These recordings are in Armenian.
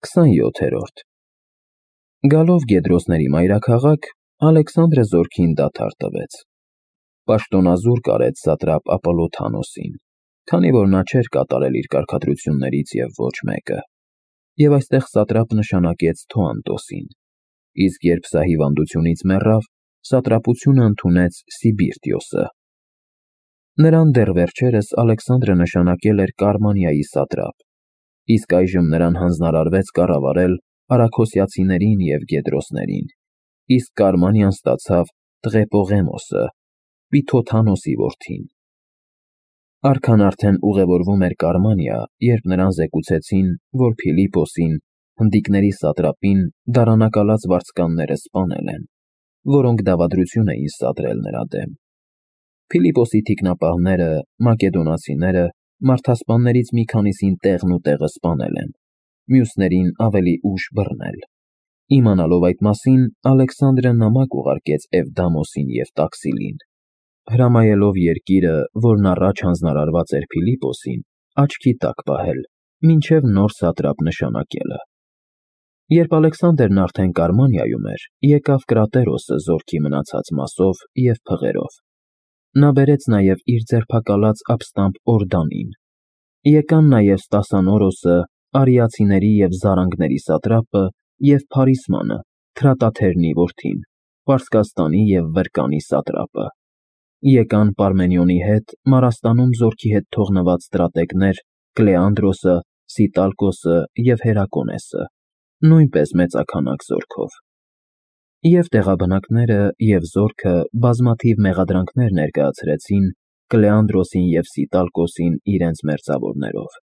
27-րդ Գալով Գեդրոսների մայրաքաղաք, Ալեքսանդրը զորքին դադար տվեց։ Պաշտոնազուրկ արեց սատրապ Ապոլոթանոսին, քանի որ նա չէր կատարել իր կարգադրություններից և ոչ մեկը, և այստեղ սատրապ նշանակեց Թոանտոսին, իսկ երբ սա հիվանդությունից մեռավ, սատրապությունը ընդունեց Սիբիրտիոսը։ Նրան դեռ վերջերս Ալեքսանդրը նշանակել էր Կարմանիայի սատրապ, իսկ այժմ նրան հանձնարարվեց կառավարել արաքոսիացիներին և Գեդրոսներին, իսկ Կարմանիան ստացավ Տղեպողեմոսը, Պիթոթանոսի որդին։ Արքան արդեն ուղևորվում էր Կարմանիա, երբ նրան զեկուցեցին, որ Փիլիպոսին, հնդիկների սատրապին, դարանակալած վարձկանները սպանել են, որոնք դավադրություն էին սադրել նրա դեմ։ Փիլիպոսի թիկնապահները, մակեդոնացիները, մարդասպաններից մի քանիսին տեղն ու տեղը սպանել են, մյուսներին ավելի ուշ բռնել։ Իմանալով այդ մասին, Ալեքսանդրը նամակ ուղարկեց Էվդամոսին և Տաքսիլին, հրամայելով երկիրը, որն առաջ հանձնարարված էր Փիլիպոսին, աչքի տակ պահել, մինչև նոր սատրապ նշանակելը։ Երբ Ալեքսանդրն արդեն Կարմանիայում էր, եկավ Կրատերոսը զորքի մնացած մասով և փղերով։ Նա բերեց նաև իր ձերբակալած ապստամբ Օրդանին։ Եկան նաև Ստասանորոսը, արիացիների և զարանգների սատրապը և Փարիսմանը, Թրատաթերնի որդին, Պարսկաստանի և Վրկանի սատրապը։ Եկան Պարմենիոնի հետ Մարաստանում զորքի հետ թողնված ստրատեգներ Կլեանդրոսը, Սիտալկոսը և Հերակոնեսը, նույնպես մեծաքանակ զորքով։ Եվ տեղաբնակները և զորքը բազմաթիվ մեղադրանքներ ներկայացրեցին Կլեանդրոսին և Սիտալկոսին իրենց մերձավորներով։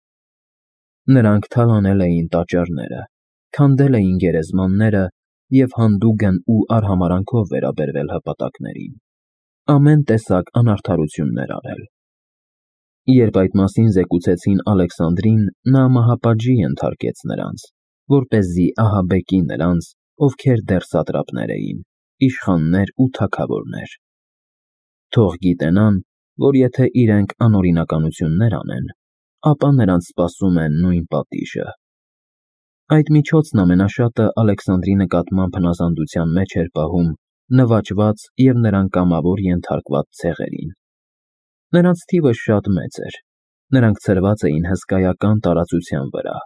Նրանք թալանել էին տաճարները, քանդել էին գերեզմանները և հանդուգն ու արհամարհանքով վերաբերվել հպատակներին, ամեն տեսակ անարդարություններ արել։ Երբ այդ մասին զեկուցեցին Ալեքսանդրին, նա մահապատժի ենթարկեց նրանց, որպեսզի ահաբեկի նրանց, ովքեր դեռ սատրապներ էին, իշխաններ ու թագավորներ։ Թող գիտենան, որ եթե իրենք անօրինականություններ անեն, ապա նրանց սպասում է նույն պատիժը։ Այդ միջոցն ամենաշատը Ալեքսանդրի նկատմամբ հնազանդության մեջ էր պահում նվաճված և նրան կամավոր ենթարկված ցեղերին։ Նրանց թիվը շատ մեծ էր, նրանք ցրված էին հսկայական տարածության վրա,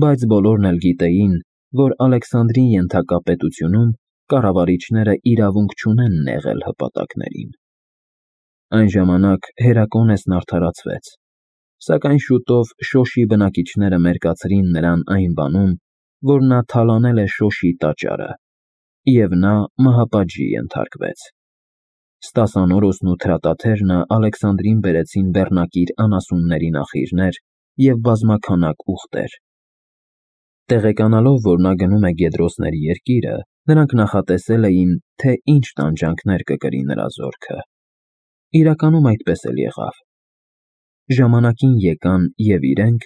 բայց բոլորն էլ գիտեին, որ Ալեքսանդրին ենթակա պետությունում կառավարիչները իրավունք չունեն նեղել հպատակներին։ Այն ժամանակ Հերակոնեսն արդարացվեց, սակայն շուտով Շոշի բնակիչները մերկացրին նրան այն բանում, որ նա թալանել է Շոշի տաճարը, և նա մահապատժի ենթարկվեց։ Ստասանորոսն ու Թրատաթերնը Ալեքսանդրին բերեցին բեռնակիր անասունների նախիրներ և բազմաքանակ ուղտեր։ Տեղեկանալով, որ նա գնում է Գեդրոսների երկիրը, նրանք նախատեսել էին, թե ինչ տանջանքներ կկրի նրա զորքը։ Իրականում այդպես էլ եղավ։ Ժամանակին եկան և իրենք,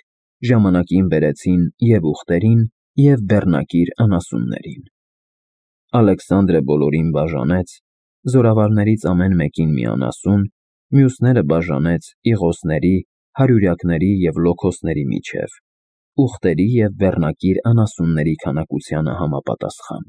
ժամանակին բերեցին և ուղտերին, և բեռնակիր անասուններին։ Ալեքսանդրը բոլորին բաժանեց, զորավարներից ամեն մեկին մի անասուն, մյուսները բաժանեց իղոսների, հարյուրյակների և լոքոսների միջև, ուղտերի և բեռնակիր անասունների քանակությանը համապատասխան։